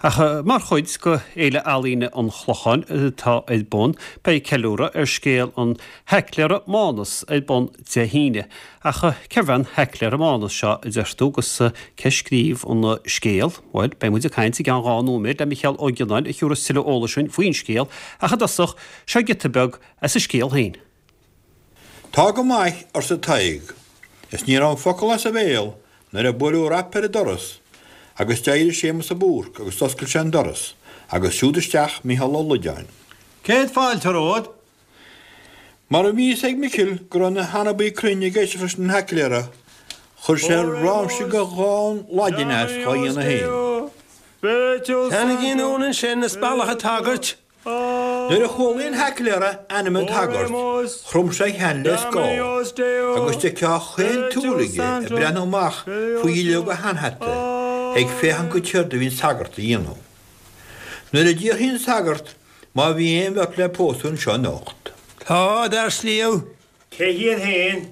Ach mar chuid de Fhéile Ealaíne an Chlocháin atá ar bun, beidh ceiliúradh ar scéal an Haicléara Mánas ar bun Dé hAoine. Ach cérbh é an Haicléara Mánas seo, a deir tú, agus cé a scríobh an scéal? Bhuel, beidh muid ag caint i gceann 2 nóiméad le Micheál Ó Gionnáin a thiúrfas tuilleadh eolais dúinn faoin scéal, ach i dtosach, seo giota beag as an scéal féin. Tá go maith, arsa Tadhg, is ní raibh an focal as a bhéal nuair a buaileadh rap ar an doras agus d'éirigh Séamus de Búrc agus d'oscail sé an doras agus siúd isteach Micheál Ó Loideáin. Céad fáilte romhat. Mar a bhí fhios ag Micil go raibh na hanabaí cruinn ag éisteacht leis an Haicléara, chuir sé ráimse de dhán Laidine as dhá dhéanamh féin. Teannaigí anonn ansin is bealach an tsagairt. Nuair a chualaidh an Haicléara ainm an tsagairt, chrom sé a cheann le scáth, agus d'fheicfeá chaon tsúil aige ag breathnú amach faoi dhuilleog a sheanhata ag féachaint go céard a bhí an sagart a dhéanamh. Nuair a d'fhiafraigh an sagart má bhí aon bheirt le pósadh anseo anocht. Tá, a d'fhear sliabh. Cé hiad féin?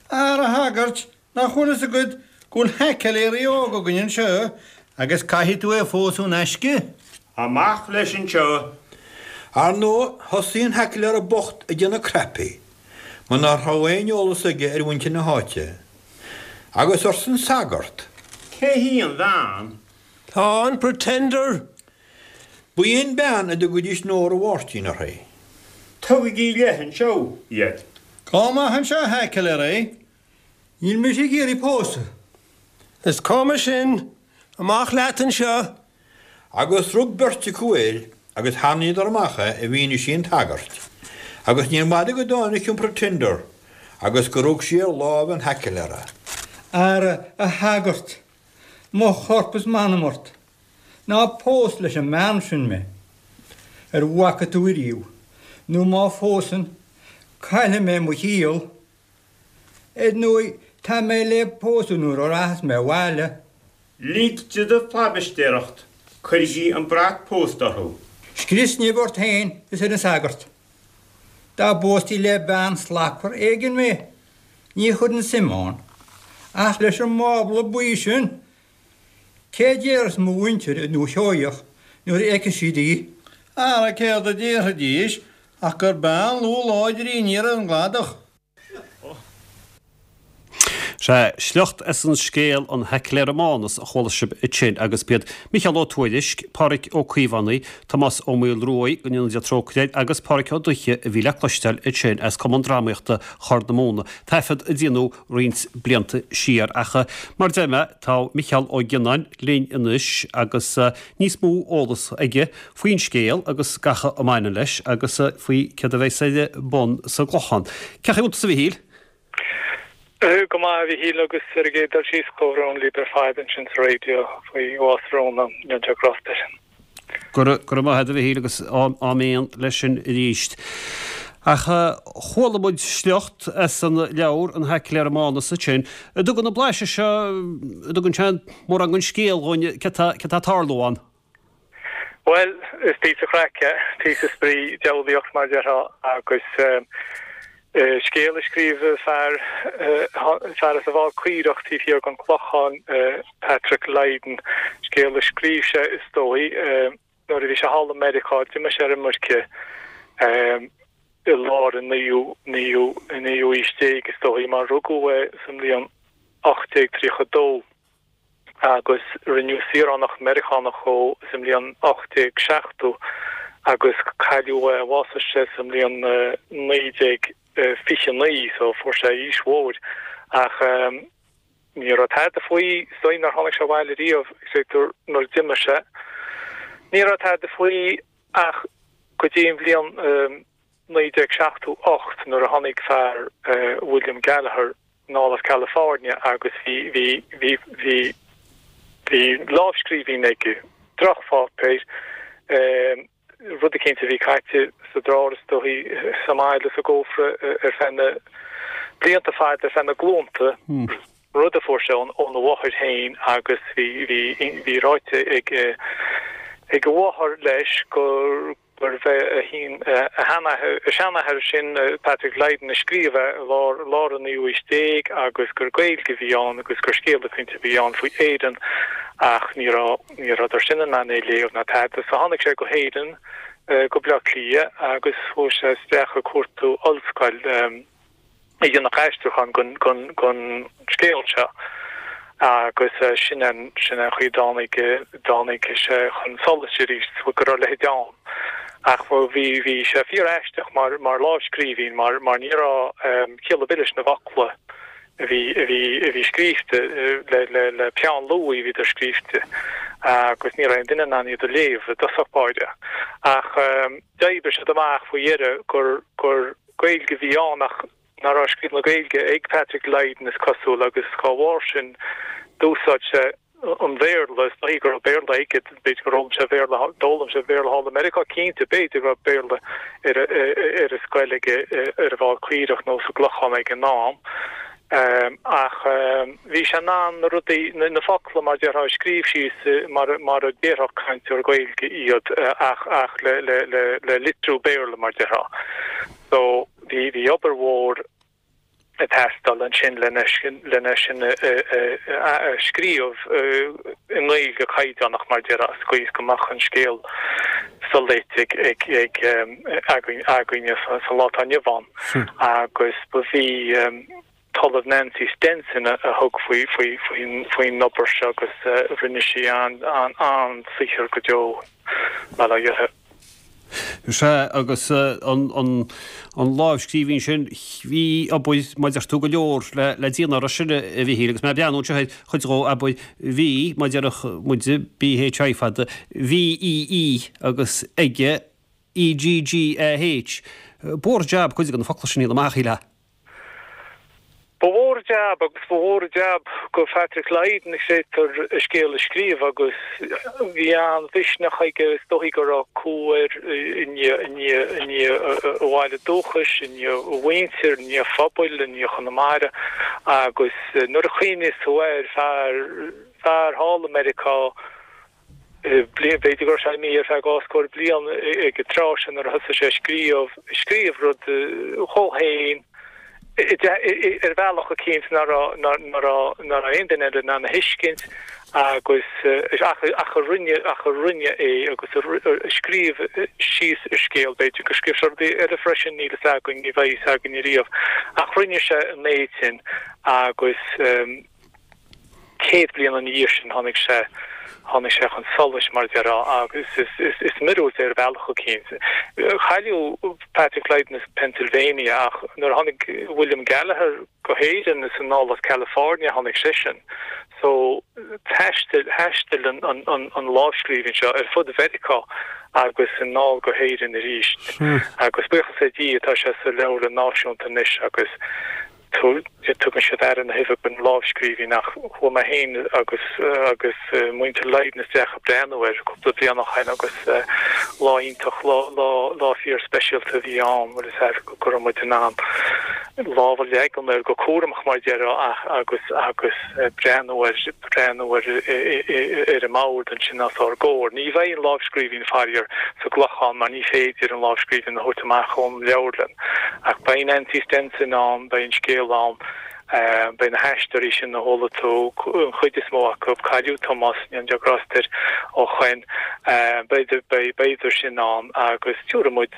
Ara a shagairt, Nach bhfuil fhios agat go bhfuil haicléirí óg againn anseo agus caithfidh tú é a phósadh in aisce? Amach leis anseo! Ar ndóigh, thosaigh an haicléara bocht ag déanamh cnaipí, mar ná raibh aon eolas aige ar mhuintir na háite. Agus arsa an sagart. Cé hí an bhean? Tá an Pretender! Ba í an bean a dtugaidís Nóra Mháirtín uirthi. Tugaigí i leith anseo iad. Gabh amach anseo, a haicléirí! Níl mise ag iarraidh pósadh. Is cuma sin. Amach leat anseo. Agus rug beirt acu air agus tharraingíodar amach é i bhfianaise an tsagairt, agus níor bhfada go dtáinig an Pretender agus gur rug sí ar láimh an haicléara. Ara, a shagairt, mo chorp is m'anam ort, ná pós leis an mbean sin mé. Ar bhfaca tú ariamh, nó má phósann, caillfidh mé mo chiall. Ar ndóigh, tá mé le pósadh nuair a rachas mé abhaile. Lig di do phlaibisteoireacht, cuirigí an brat pósta orthu. Scrios nimh ort féin is ar an sagart. Dá bpóstaí le bean slachtmhar éigin mé, ní chuirfinn suim ann. Ach leis an mbábla buí sin, Cé déarfas mo mhuintir i nDúiche Sheoigheach nuair a fheicfidh siad í? Ara céard a déarfaidís ach gur bean lúth láidir í aniar ar an gcladach. Sea, sliocht as an scéal An Haicléara Mánas a chuala sibh ansin agus b'iad Micheál Ó Tuairisg, Pádhraic Ó Caomhánaigh, Tomás Ó Maolruaidh, go ndéana Dia trócaire air, agus Pádhraic Ó Dubhthaigh a bhí le cloisteáil ansin as Cumann Drámaíochta Chorr na Móna, taifead a déanadh roinnt blianta siar. Ach mar a deir mé, tá Micheál Ó Gionnáin linn anois agus níos mó eolas aige faoin scéal agus gach a mbaineann leis agus faoi céard a bheas ar bun sa gClochán. Cén chaoi a bhfuil tusa a Mhichíl? Go maith a Mhichíl agus ar an gcéad dul síos comhbhrón libh ar fad ansin sa raidió faoi bhás Rhona, go ndéana Dia grást uirthi. Go raibh maith agat a Mhichíl agus áiméan leis sin arís. Ach chuala muid sliocht as an leabhar An Haicléara Mánas ansin. An dtugann an blaiseadh seo, an dtugann sé mórán den scéal dhúinn, céard tá ag tarlú ann? Bhuel, is píosa craic é, píosa spraoi, diabhlaíocht mar a déarfá agus scéal a scríobh fear, fear as an bhFál Caorach taobh thiar den Chlochán, Patrick Lydon, scéal a scríobh sé is dóigh nuair a bhí sé thall i Meiriceá, d'imigh sé ar imirce i lár an naoú, naoú, naoú aois déag is dóigh mar rugadh é sa mbliain 1832. agus rinneadh saoránach Meiriceánach dhó sa mbliain 1870 agus cailleadh é, bhásaigh sé sa mbliain 1929 so fuair sé aois mhór ach ní raibh tada faoi, is dóigh nár tháinig sé abhaile riamh, nuair a d'imigh sé. Ní raibh tada faoi ach go dtí an bhliain 1978 nuair a tháinig fear, William Gallagher, anall as California agus bhí, bhí, bhí, bhí, bhí lámhscríbhinn aige, drochpháipéir, rud eicínt a bhí caite sa drár is dóigh, sa mbaile, sa gcófra ar feadh na blianta fada, ar feadh na glúnta, rud a fuair sé óna mháthair féin agus bhí, bhí, bhí ráite ag, ag a mháthair leis gur. gurbh é a sheanathair, a seanathair sin, Patrick Lydon, a scríobh é i lár, lár an naoú haois déag agus gur Gaeilge a bhí ann agus gur scéal eicínt a bhí ann faoi Éirinn ach ní raibh, ní rabhadar sin in ann é a léamh ná tada. So tháinig sé go hÉirinn, go Baile Átha Cliath agus chuaigh sé isteach ag cuartú ollscoil. a dhéanfadh aistriúchán den scéal seo agus sin an sin an chaoi a dtáinig dtáinig sé chun solais arís go raibh a leithéid ann. Ach bhí bhí sé fíor aisteach mar mar lámhscríbhinn mar mar ní raibh ciall ar bith leis na focla a bhí a bhí a bhí scríbhte le le le peann luaidhe a bhíodar scríbhte agus ní raibh aon duine in ann iad a léamh i dtosach báire. Ach d'oibrigh siad amach faoi dheireadh gur gur Gaeilge a bhí ann ach nach raibh scríobh na Gaeilge ag Patrick Lydon is cosúil agus dá bharr sin d'úsáid sé an Bhéarla, is dóigh go raibh Béarla aige, b'fhéidir gur fhoghlaim sé Béarla, d'fhoghlaim sé Béarla thall i Meiriceá cinnte, b'fhéidir go raibh Béarla ar ar an scoil aige ar an bhFál Caorach nó sa gClochán ag an am. Ach bhí sé in ann na rudaí, na focla mar déarfá a scríobh síos mar mar a déarfadh cainteoir Gaeilge iad ach ach le le le le litriú Béarla mar déarfá. So bhí bhí obair mhór ag teastáil ansin lena lena sin a a a scríobh i nGaeilge caighdeánach mar déarfá sa gcaoi is go mbeadh an scéal soléite ag ag ag againn againne sa sa lá atá inniu ann. Agus ba í an tOllamh Nancy Stenson a thug faoin obair seo agus rinne sí an-saothar go deo, bail ó Dhia uirthi. Sea, agus an lámhscríbhinn sin, bhí obair, mar a deir tú, go leor le déanamh air sin, a Mhichíl, agus mé ag breathnú anseo ar chuid dhó, abair, bhí, mar a déarfadh muide, BHI fada, VEE agus aige, EGGAH. Ba mhór an jab cuid de na focla sin a dhéanamh amach, shílfeá. Ba mhór an jab agus ba mhór an jab go Phatrick Lydon, creidtear, a scéal a scríobh agus bhí an-mhisneach aige, is dóichí go raibh cumha air i ndiaidh a bhaile dúchais, i ndiaidh a mhuintir, i ndiaidh a phobail, i ndiaidh Chonamara agus nuair a chuimhníos tú air, fear, fear thall i Meiriceá, B'fhéidir go raibh sé imithe ar feadh dhá scór bliain ag an tráth sin nuair a thosaigh sé ag scríobh, ag scríobh rud dhó féin ar bhealach eicínt nach raibh, nach raibh, nach raibh aon duine eile in ann a thuiscint agus ach, ach a rinne, ach a rinne é agus a scríobh síos a scéal, b'fhéidir gur scríobh sé rudaí eile freisin, níl fhios againn, ní bheidh fhios againn ariamh. Ach rinne sé an méid sin agus. 100 bliain ina dhiaidh sin tháinig sé, tháinig sé chun solais, mar a déarfá, agus is, is, is míorúilt é ar bhealach eicínt. Cailleadh Patrick Lydon as Pennsylvania ach nuair a tháinig William Gallagher go hÉirinn is anall as California a tháinig seisean. So thaistil, thaistil an, an, an, an lámhscríbhinn seo ar fud Mheiriceá agus anall go hÉirinn arís. Agus buíochas le Dia tá sé sa Leabharlann Náisiúnta anois agus Tugann siad aire na huibhe don lámhscríbhinn ach chuaigh mé féin agus agus muintir Lydon isteach ag breathnú air cúpla bliain ó shin agus lá iontach, lá lá lá fíor speisialta a bhí ann bhfuil fhios a'd go raibh muid in ann lámh a leagan air go cúramach mar a déarfá ach agus agus breathnú air breathnú air ar an mbord ansin os ár gcomhair. Ní bheidh an lámhscríbhinn faraor sa gClochán mar ní féidir an lámhscríbhinn a thabhairt amach ón leabharlann. Ach beidh Nancy Stenson ann, beidh an scéal ann, beidh na haisteoirí sin a chuala tú, an chuid is mó acu, cailleadh Tomás, go ndéana Dia grást air, ó shoin, beidh, beidh, beidh sin ann agus tabharfaidh muid,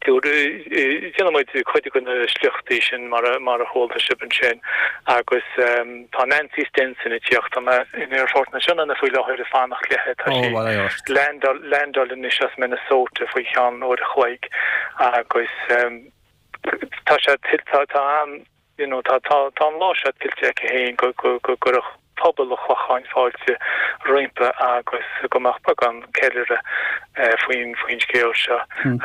déanfaidh muid cuid de na sliochtaí sin mar a, mar a chuala sibh ansin agus tá Nancy Stenson ag tíocht, tá mé in Aerfort na Sionainne faoi láthair ag fanacht léithe, tá sí ag landáil anois as Minnesota faoi cheann uair a chloig agus tá sé tá tá an you know tá tá tá an lá seo tuillte aici féin go go go gcuirfeadh pobal an Chlocháin fáilte roimpi agus go mbeadh beagán ceiliúradh faoin faoin scéal seo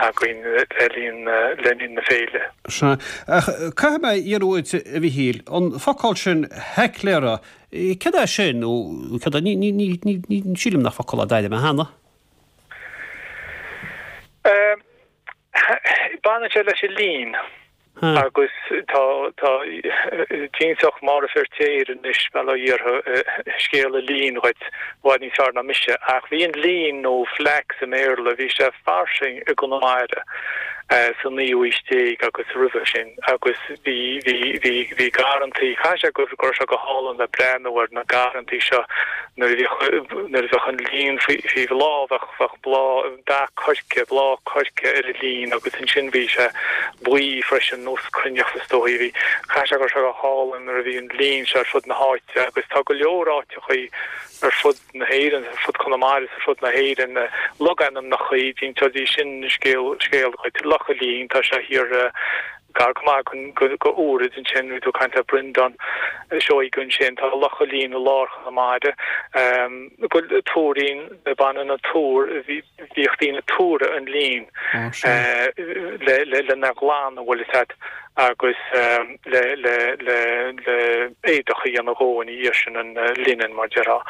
againn le linn le linn na féile. Sea. Ach caithfidh mé iarraidh uait, a Mhichíl, an focal sin 'heicléara', céard é sin nó céard é, ní ní ní ní ní sílim nach focal é a d'airigh mé cheana. Baineann sé leis an líon. Agus tá, tá, d'inseodh Máire Feirtéar anois, bail ó Dhia uirthi, scéal an lín dhuit i bhfad níos fearr ná mise. Ach bhí an lín, nó flax i mBéarla, bhí sé fairsing i gConamara sa naoú haois déag agus roimhe sin agus bhí, bhí, bhí, bhí garrantaí, caithfidh sé go raibh sé go hálainn le breathnú ar na garrantaí seo nuair a bhíodh, nuair a bheadh an lín faoi, faoi bhláth, bheadh, bheadh bláth, dath coirce, bláth coirce ar an lín agus ansin bhí sé buí freisin, nós cruithneacht is dóigh. Bhí, caithfidh sé go raibh sé go hálainn nuair a bhí an lín seo ar fud na háite agus tá go leor áiteachaí ar fud na hÉireann, ar fud Chonamara is ar fud na hÉireann, logainmneachaí, d'inseoidís sin scéal, scéal dhuit. Loch a' Lín, tá sé thiar gar go maith go Úraid ansin, bhí tú ag caint le Breandán Seoige ansin, tá Loch a' Lín i lár Chonamara, Tuairín, Baineann an tuar, bhíodh daoine ag tuaradh an lín lena ghlanadh, bhfuil fhios a'd, agus le le le le éadach a dhéanamh dhó ina dhiaidh sin, an linen mar déarfá.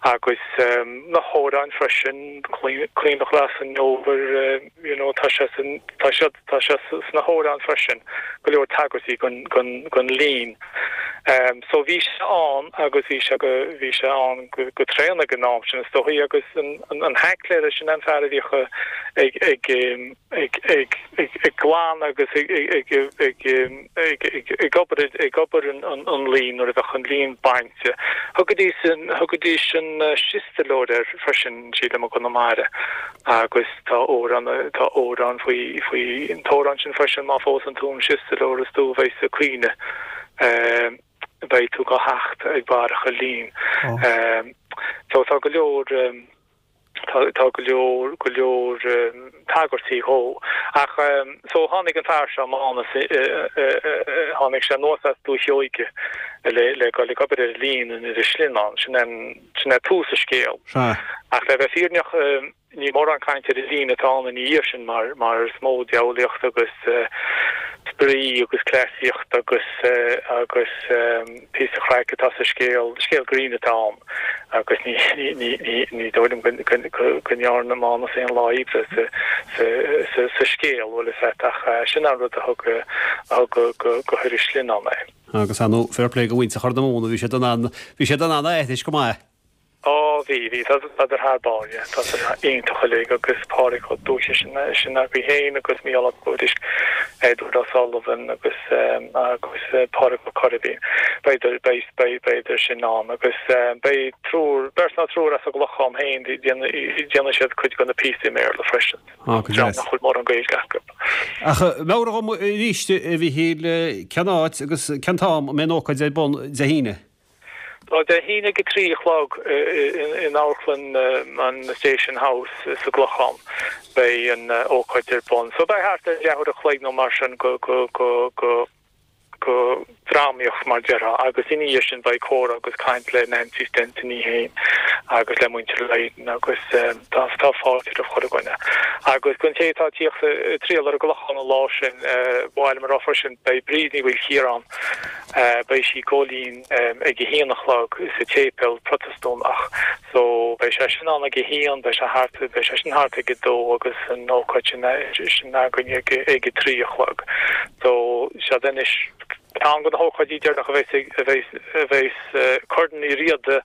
Agus na hamhráin freisin, Caonach Glas an Fhómhair, you know, tá sé san, tá siad, tá sé sna hamhráin freisin, go leor tagairtí gon, gon, gon lín. So bhí sé ann agus bhí sé go, bhí sé ann go, go tréan ag an am sin is dóigh agus an, an, an haicléara sin an fear a bhíodh ag, ag, ag, ag, ag, ag glanadh agus ag, ag, ag, ag, ag, ag obair, ag obair an, an, an lín nuair a bheadh an lín bainte. Thugaidís an, thugaidís an siostalóir air freisin, sílim i gConamara. Agus tá amhrán, tá amhrán faoi, faoi, an t-amhrán sin freisin, má phósann tú an siostalóir is tú a bheidh ag caoineadh, beidh tú go theacht ag barracha lín. So tá go leor, tá, tá go leor, go leor tagairtí dhó. Ach so tháinig an fear seo, Mánas, tháinig sé anuas as Dúiche Sheoige le, le dul ag obair ar an lín in Inis Slinneán, sin an, Sin é tús an scéil. Ach le bheith fírinneach, ní mórán caint ar an lín atá ann ina dhiaidh sin mar mar is mó diabhlaíocht agus spraoi agus cleasaíocht agus agus píosa craic atá sa scéal. Scéal grinn atá ann agus ní ní ní ní dóigh liom go go go ndearna Mánas aon lá oibre sa sa sa sa scéal, bhfuil fhios a't, ach sin an rud a thug a thug go go go hIorras Slinneán é. Agus ar ndóigh, fair play go mhuintir Chorr na Móna, bhí siad in ann, bhí siad in ann a aithris go maith. Á, bhí, bhí, tádar thar barr, yeah, tádar iontach uilig agus Pádraig Ó Dúiche sin, sin agaibh féin agus Mícheál Ó Tuairisg, Edward O'Sullivan agus, agus Pádraig Ó Coirbín. Beidh, beidh, beidh, beidh sin ann agus beidh triúr, beirt nó triúr as an gClochán féin, déanfaidh siad cuid de na píosaí i mBéarla freisin. Á, go deas. Nach bhfuil mórán Gaeilge acu. Ach meabhraigh dhom arís, a Mhichíl, cén áit agus cén t-am a mbeidh an ócáid ar bun Dé hAoine? Tá Dé hAoine ag a 3 a chlog in Amharclann an Station House sa gClochán. Beidh an ócáid ar bun. So beidh thart ar leathuair a chloig nó mar sin go, go, go, go. go drámaíocht mar déarfá agus ina dhiaidh sin beidh comhrá agus caint le Nancy Stenson í féin agus le muintir Lydon agus tá tá fáilte roimh chuile dhuine. Agus don té atá ag tíocht ag triall ar an gClochán an lá sin, ba mhaith liom a rá freisin beidh Bríd Ní Mhaoilchiaráin, beidh sí ag Góilín ag a haon a chlog sa tséipéal Protastúnach so beidh sé sin ann ag a haon, beidh sé thart, beidh sé sin thart ag a dó agus an ócáid sin sin againn ag ag a 3 a chlog. So seod anois ceann de na hócáidí deireanacha a bheas a bheas a bheas Corn Uí Riada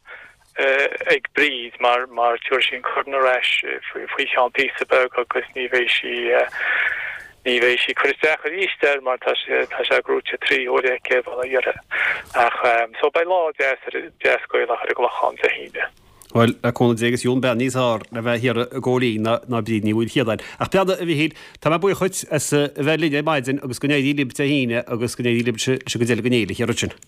ag Bríd mar mar tabharfaidh sí an corn ar ais faoi cheann píosa beag agus ní bheidh sí ní bheidh sí ag cur isteach arís air mar tá sé tá sé gnóite trí huaire aici bail ó Dhia uirthi. Ach so beidh lá deas ar deas Gaelach ar an gClochán Dé hAoine. Bhuel, le cúnamh Dé agus gheobhainn bean níos fearr le bheith thiar i gCóilín ná ná Bríd Ní Mhaoilchiadáin. Ach breathnaigh, a Mhichíl, tá mé buíoch dhuit as a bheith linn ar maidin agus go n-éirí libh Dé hAoine agus go n-éirí libh leis an gcuid eile den fhéile thiar ansin.